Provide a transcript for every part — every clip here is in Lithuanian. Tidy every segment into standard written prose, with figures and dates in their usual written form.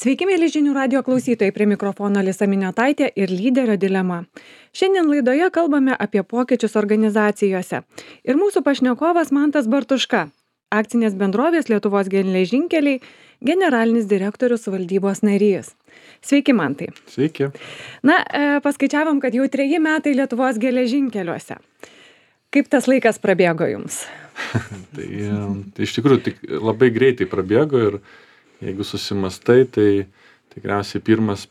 Sveiki, mėly žinių radio klausytojai, prie mikrofono Alisa Miniotaitė ir lyderio dilema. Šiandien laidoje kalbame apie pokyčius organizacijose. Ir mūsų pašnekovas Mantas Bartuška, akcinės bendrovės Lietuvos geležinkeliai, generalinis direktorius valdybos narys. Sveiki, Mantai. Sveiki. Paskaičiavom, kad jau 3 metai Lietuvos geležinkeliuose. Kaip tas laikas prabėgo jums? Tai iš tikrųjų tik labai greitai prabėgo ir jeigu susimastai, tai tikriausiai pirmas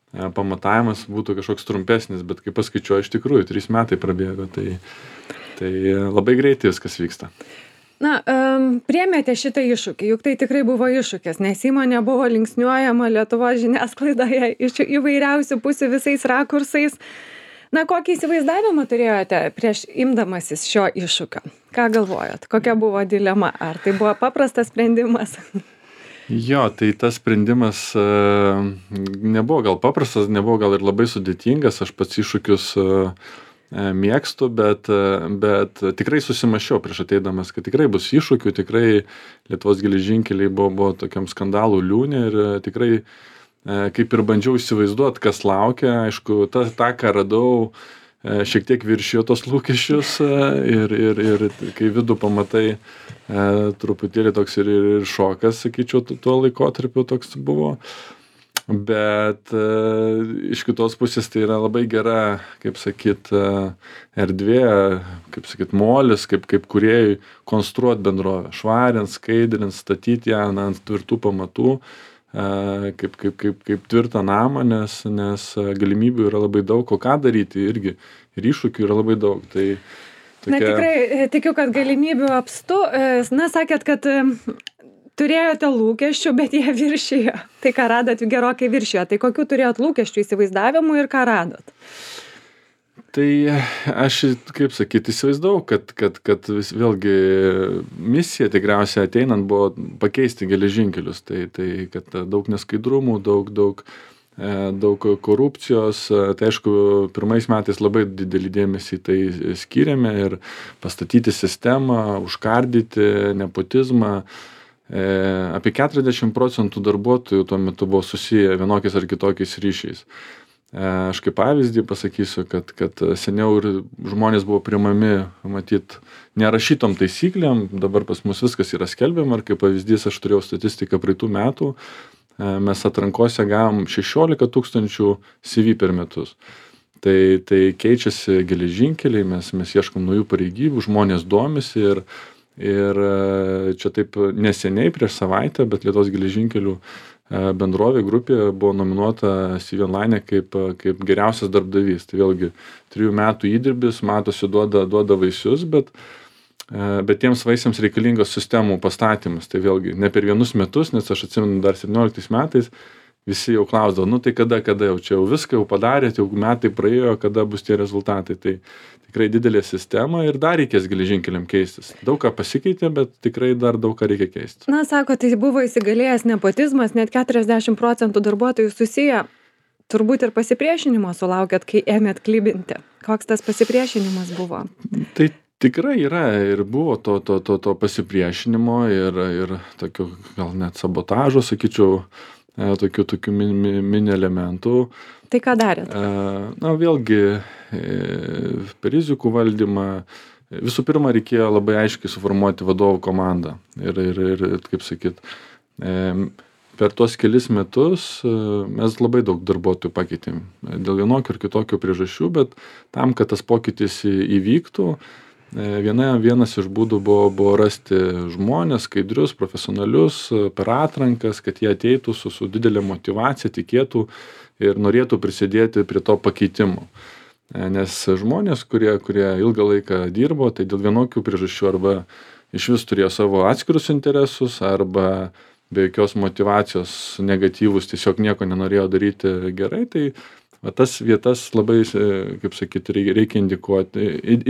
pamatavimas būtų kažkoks trumpesnis, bet kai paskaičiuoju, iš tikrųjų 3 metai prabėgo, tai labai greitai viskas vyksta. Priėmėte šitą iššūkį, juk tai tikrai buvo iššūkis, nes įmonė buvo linksniuojama Lietuvos žiniasklaidoje iš įvairiausių pusių visais rakursais. Kokį įsivaizdavimą turėjote prieš imdamasis šio iššūkio? Ką galvojot? Kokia buvo dilema? Ar tai buvo paprastas sprendimas? Jo, tai tas sprendimas nebuvo gal paprastas, nebuvo gal ir labai sudėtingas. Aš pats iššūkius mėgstu, bet tikrai susimąsčiau prieš ateidamas, kad tikrai bus iššūkių, tikrai Lietuvos geležinkeliai buvo tokiam skandalų liūne ir tikrai kaip ir bandžiau įsivaizduoti, kas laukia. Aišku, tą, ką radau, šiek tiek viršijo tos lūkesčius ir kai vidų pamatai, truputėlį toks ir šokas, sakyčiau, tuo laikotarpiu toks buvo. Bet iš kitos pusės tai yra labai gera, kaip sakyt, erdvė, kaip sakyt, molis, kaip kūrėjui konstruoti bendrovę, švarint, skaidrint, statyti ją ant tvirtų pamatų, kaip tvirtą namą, nes galimybių yra labai daug, o ką daryti irgi, ir iššūkių yra labai daug. Tai tokia... Tikrai tikiu, kad galimybių apstu. Sakėt, kad turėjote lūkesčių, bet jie viršijo. Tai ką radot, gerokai viršijo. Tai kokių turėjot lūkesčių, įsivaizdavimų ir ką radot? Tai aš, kaip sakyti, įsivaizdavau, kad vėlgi misija tikriausiai ateinant buvo pakeisti geležinkelius. Tai kad daug neskaidrumų, daug korupcijos. Tai aišku, pirmais metais labai didelį dėmesį tai skyrėme ir pastatyti sistemą, užkardyti nepotizmą. Apie 40% darbuotojų tuo metu buvo susiję vienokiais ar kitokiais ryšiais. Aš kaip pavyzdį pasakysiu, kad seniau ir žmonės buvo priimami, matyt, nerašytom taisyklėm, dabar pas mus viskas yra skelbiama ir kaip pavyzdys aš turėjau statistiką praeitų metų, mes atrankose gavom 16 000 CV per metus. Tai keičiasi geležinkeliai, mes ieškom naujų pareigybių, žmonės domisi ir čia taip neseniai prieš savaitę, bet Lietuvos geležinkelių bendrovė grupė buvo nominuota CV Online kaip geriausias darbdavys. Tai vėlgi 3 metų įdirbis, matosi, duoda vaisius, bet tiems vaisiams reikalingos sistemų pastatymas. Tai vėlgi ne per 1 metus, nes aš atsimenu dar 17 metais, visi jau klausdavo, tai kada jau čia jau viską jau padarėt, jau metai praėjo, kada bus tie rezultatai. Tai tikrai didelė sistema ir dar reikės geležinkeliam keistis. Daug ką pasikeitė, bet tikrai dar daug ką reikia keistis. Sako, tai buvo įsigalėjęs nepotizmas, net 40% darbuotojų susiję. Turbūt ir pasipriešinimo sulaukėt, kai ėmėt klibinti. Koks tas pasipriešinimas buvo? Tai tikrai yra ir buvo to pasipriešinimo ir tokio gal net sabotažo, sakyčiau, tokių mini elementų. Tai ką darėt? Vėlgi, per rizikų valdymą visų pirma reikėjo labai aiškiai suformuoti vadovų komandą. Ir kaip sakyt, per tuos kelis metus mes labai daug darbuotojų pakeitėm. Dėl vienokių ir kitokių priežasčių, bet tam, kad tas pokytis įvyktų, vienas iš būdų buvo rasti žmonės, skaidrius, profesionalius, per atrankas, kad jie ateitų su didelė motyvacija, tikėtų ir norėtų prisidėti prie to pakeitimo. Nes žmonės, kurie ilgą laiką dirbo, tai dėl vienokių priežasčių arba iš vis turėjo savo atskirus interesus, arba be jokios motyvacijos negatyvus tiesiog nieko nenorėjo daryti gerai, tai tas vietas labai, kaip sakyti, reikia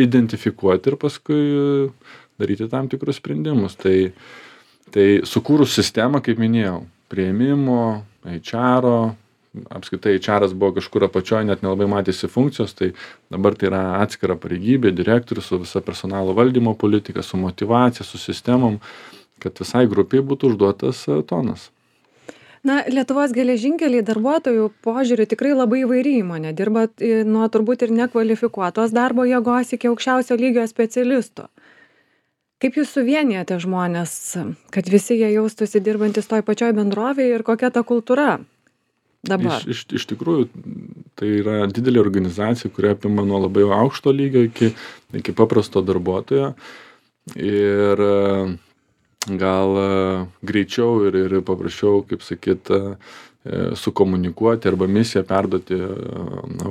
identifikuoti ir paskui daryti tam tikrus sprendimus. Tai sukūrus sistemą, kaip minėjau, priėmimo, HR-o, apskritai HR-as buvo kažkur apačioje, net nelabai matėsi funkcijos, tai dabar tai yra atskira pareigybė, direktorius su visa personalo valdymo politika, su motyvacija, su sistemom, kad visai grupiai būtų užduotas tonas. Na, Lietuvos geležinkeliai darbuotojų požiūriu tikrai labai įvairi įmonė. Dirbat nuo turbūt ir nekvalifikuotos darbo jėgos iki aukščiausio lygio specialistų. Kaip jūs suvienijate žmonės, kad visi jie jaustųsi dirbantis toj pačioj bendrovėje ir kokia ta kultūra dabar? Iš tikrųjų, tai yra didelė organizacija, kuri apima nuo labai aukšto lygio iki paprasto darbuotojo. Ir gal greičiau ir paprasčiau, kaip sakyt, sukomunikuoti arba misiją perduoti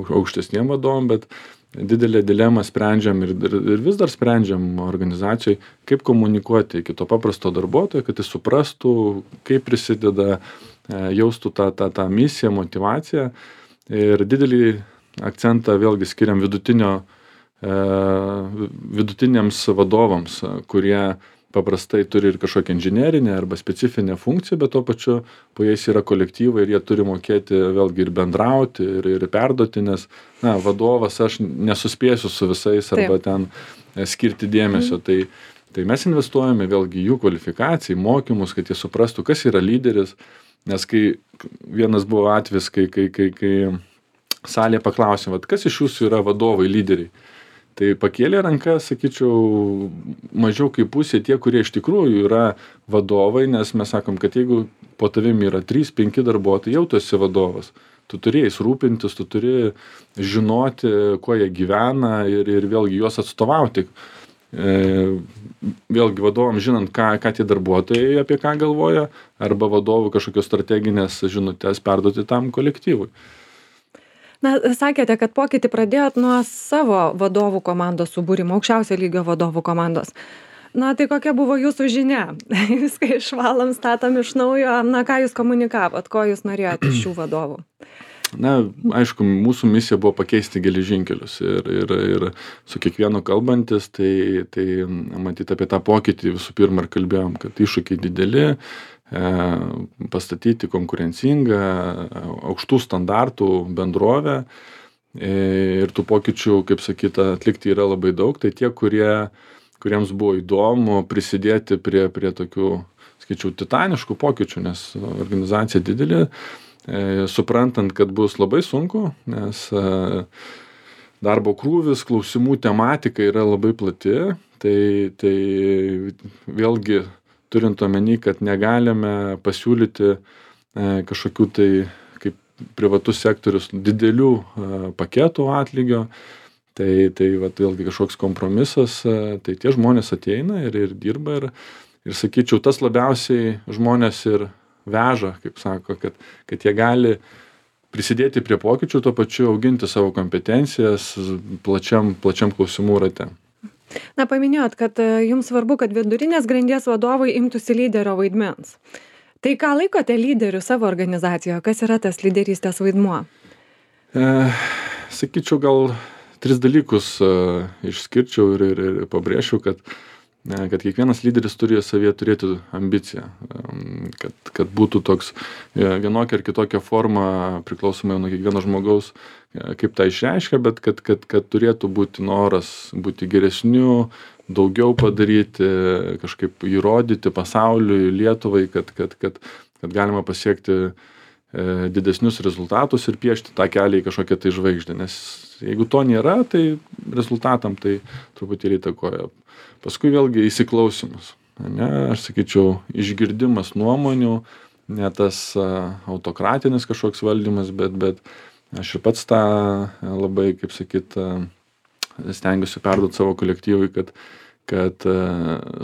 aukštesniem vadovam, bet didelę dilemą sprendžiam ir vis dar sprendžiam organizacijoj, kaip komunikuoti iki to paprasto darbuotojo, kad jis suprastų, kaip prisideda, jaustų tą misiją, motyvaciją. Ir didelį akcentą vėlgi skiriam vidutiniams vadovams, kurie paprastai turi ir kažkokią inžinerinę arba specifinę funkciją, bet tuo pačiu po jais yra kolektyvai ir jie turi mokėti vėlgi ir bendrauti ir perduoti, nes vadovas aš nesuspėsiu su visais arba ten skirti dėmesio. Tai mes investuojame vėlgi jų kvalifikaciją, mokymus, kad jie suprastų, kas yra lyderis, nes kai vienas buvo atvejis, kai salėje paklausėm, kas iš jūsų yra vadovai, lyderiai. Tai pakėlė rankas, sakyčiau, mažiau kaip pusė tie, kurie iš tikrųjų yra vadovai, nes mes sakom, kad jeigu po tavimi yra 3-5 darbuotojai, jau tu esi vadovas. Tu turi jais rūpintis, tu turi žinoti, kuo jie gyvena ir vėlgi juos atstovauti. Vėlgi vadovam žinant, ką tie darbuotojai apie ką galvoja, arba vadovų kažkokios strateginės žinutės perduoti tam kolektyvui. Na, sakėte, kad pokytį pradėjot nuo savo vadovų komandos subūrimo, aukščiausio lygio vadovų komandos. Na, tai kokia buvo jūsų žinia? Viską išvalom, statom iš naujo. Na, ką jūs komunikavot, ko jūs norėjote iš šių vadovų? Na, aišku, mūsų misija buvo pakeisti geležinkelius ir su kiekvienu kalbantis, tai matyti apie tą pokytį visų pirma ir kalbėjom, kad iššūkiai dideli, pastatyti konkurencingą, aukštų standartų bendrovę ir tų pokyčių, kaip sakyta, atlikti yra labai daug. Tai tie, kuriems buvo įdomu prisidėti prie tokių, skaičiau, titaniškų pokyčių, nes organizacija didelė, suprantant, kad bus labai sunku, nes darbo krūvis, klausimų tematika yra labai plati, tai vėlgi turint omeny, kad negalime pasiūlyti kažkokių tai, kaip privatus sektorius, didelių paketų atlygio, tai vėlgi kažkoks kompromisas, tai tie žmonės ateina ir dirba ir sakyčiau, tas labiausiai žmonės ir veža, kaip sako, kad jie gali prisidėti prie pokyčių, tuo pačiu auginti savo kompetencijas plačiam klausimų rate. Na, paminėjot, kad jums svarbu, kad vidurinės grandies vadovai imtųsi lyderio vaidmens. Tai ką laikote lyderiu savo organizacijoje? Kas yra tas lyderystės vaidmuo? Sakyčiau, gal 3 dalykus išskirčiau ir pabrėžčiau, kad kiekvienas lyderis turi savyje turėti ambiciją, kad būtų toks vienokia ar kitokia forma, priklausomai nuo kiekvieno žmogaus, kaip tą išreiškia, bet kad turėtų būti noras būti geresniu, daugiau padaryti, kažkaip įrodyti pasauliui, Lietuvai, kad galima pasiekti didesnius rezultatus ir piešti tą kelią į kažkokią tai žvaigždę. Nes jeigu to nėra, tai rezultatam tai truputėlį įtakoja. Paskui vėlgi įsiklausimas. Aš sakyčiau, išgirdimas nuomonių, ne tas autokratinis kažkoks valdymas, bet aš ir pats tą labai, kaip sakyt, stengiuosi perduoti savo kolektyvui, kad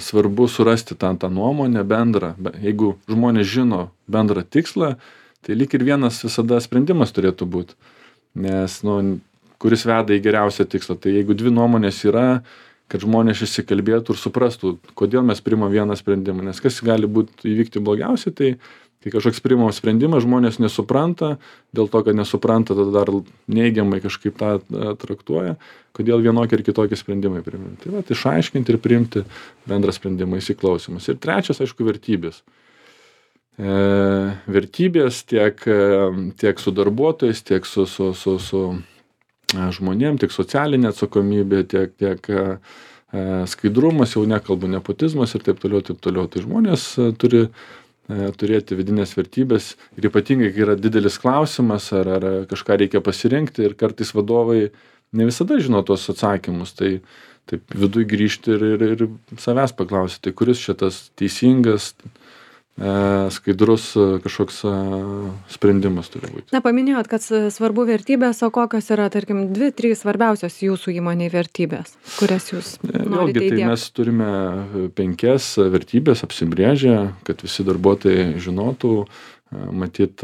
svarbu surasti tą nuomonę bendrą. Jeigu žmonės žino bendrą tikslą, tai lyg ir vienas visada sprendimas turėtų būti. Nes, kuris veda į geriausią tikslą. Tai jeigu 2 nuomonės yra, kad žmonės išsikalbėtų ir suprastų, kodėl mes priimam vieną sprendimą. Nes kas gali įvykti blogiausiai, tai kai kažkoks priimamas sprendimas, žmonės nesupranta, dėl to, kad nesupranta, tada dar neigiamai kažkaip tą traktuoja, kodėl vienokie ir kitokie sprendimai priimami. Tai išaiškinti ir priimti bendrą sprendimą, įsiklausimus. Ir trečias, aišku, vertybės. Vertybės tiek su darbuotojais, tiek su žmonėm, tiek socialinė atsakomybė, tiek skaidrumas, jau nekalbu nepotizmas ir taip toliau. Tai žmonės turi turėti vidinės vertybės ir ypatingai, kai yra didelis klausimas ar kažką reikia pasirinkti ir kartais vadovai ne visada žino tuos atsakymus, tai taip viduj grįžti ir savęs paklausti, tai kuris šitas teisingas, skaidrus kažkoks sprendimas turi būti. Na, paminėjot, kad svarbu vertybės, o kokios yra, tarkim, 2-3 svarbiausios jūsų įmonėj vertybės, kurias jūs norite įdiegti? Tai mes turime 5 vertybės apsibrėžę, kad visi darbuotojai žinotų. Matyt,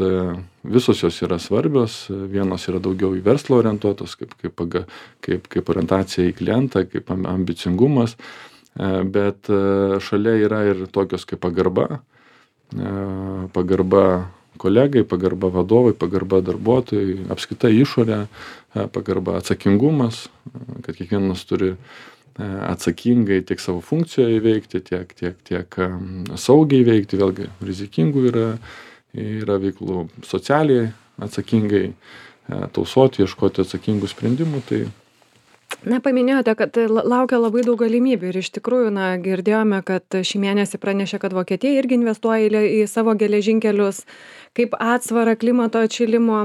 visos jos yra svarbios, vienos yra daugiau į verslą orientuotos, kaip orientacija į klientą, kaip ambicingumas, bet šalia yra ir tokios kaip pagarba kolegai, pagarba vadovai, pagarba darbuotojai, apskritai išorė, pagarba atsakingumas, kad kiekvienas turi atsakingai tiek savo funkcijoje įveikti, tiek saugiai veikti, vėlgi rizikingų yra veiklų, socialiai atsakingai tausoti, ieškoti atsakingų sprendimų. Tai Na, paminėjote, kad laukia labai daug galimybių ir iš tikrųjų, girdėjome, kad šį mėnesį pranešė, kad Vokietija irgi investuoja į savo geležinkelius kaip atsvarą klimato atšilimo.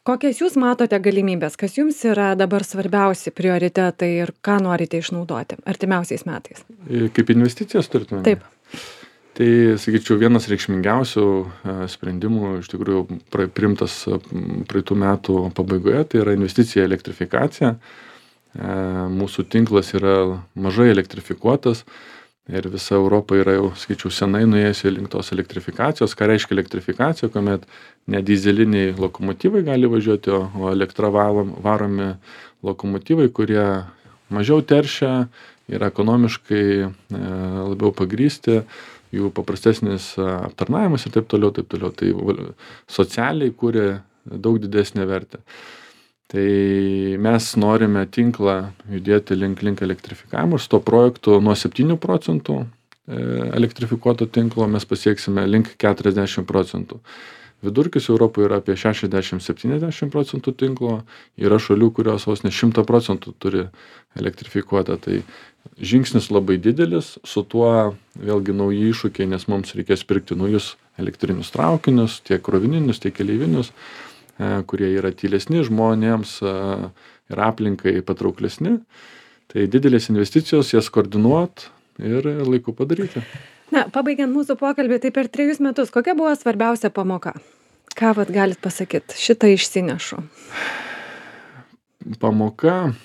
Kokias jūs matote galimybės, kas jums yra dabar svarbiausi prioritetai ir ką norite išnaudoti artimiausiais metais? Kaip investicijas turite? Taip. Tai, sakyčiau, vienas reikšmingiausių sprendimų iš tikrųjų priimtas praeitų metų pabaigoje, tai yra investicija į elektrifikaciją. Mūsų tinklas yra mažai elektrifikuotas ir visa Europa yra jau, sakyčiau, senai nuėjusi link tos elektrifikacijos. Ką reiškia elektrifikacija, kuomet ne dizeliniai lokomotyvai gali važiuoti, o elektra varomi lokomotyvai, kurie mažiau teršia, yra ekonomiškai labiau pagrįsti, jų paprastesnis aptarnavimas ir taip toliau. Tai socialiai kuria daug didesnę vertę. Tai mes norime tinklą judėti link elektrifikavimo. Su to projektu nuo 7% elektrifikuoto tinklo mes pasieksime link 40%. Vidurkis Europoje yra apie 60-70% tinklo. Yra šalių, kurios vos ne 100% turi elektrifikuotą. Tai žingsnis labai didelis, su tuo vėlgi nauji iššūkiai, nes mums reikės pirkti naujus elektrinius traukinius, tiek krovininius, tiek keleivinius, kurie yra tylesni žmonėms ir aplinkai patrauklesni. Tai didelės investicijos, jas koordinuot ir laiku padaryti. Na, pabaigiant mūsų pokalbį, tai per 3 metus, kokia buvo svarbiausia pamoka? Ką galit pasakyti? Šitą išsinešu. Pamoka,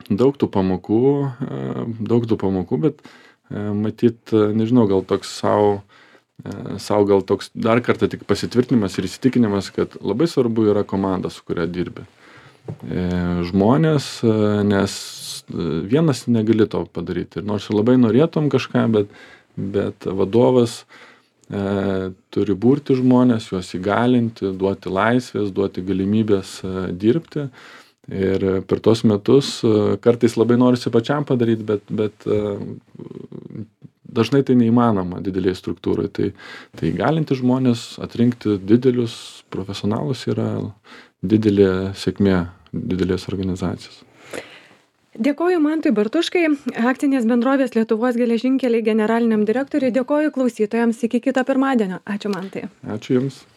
daug tų pamokų, bet matyt, nežinau, gal toks sau gal toks dar kartą tik pasitvirtinimas ir įsitikinimas, kad labai svarbu yra komanda, su kuria dirbi. Žmonės, nes vienas negali to padaryti. Ir nors labai norėtum kažką, bet vadovas turi burti žmonės, juos įgalinti, duoti laisvės, duoti galimybės dirbti. Ir per tos metus kartais labai norisi pačiam padaryti, bet dažnai tai neįmanoma didelėje struktūroje. Tai įgalinti žmonės, atrinkti didelius profesionalus yra didelė sėkmė didelės organizacijos. Dėkoju Mantui Bartuškai, akcinės bendrovės Lietuvos geležinkeliai generaliniam direktoriui. Dėkoju klausytojams iki kito pirmadienio. Ačiū, Mantai. Ačiū Jums.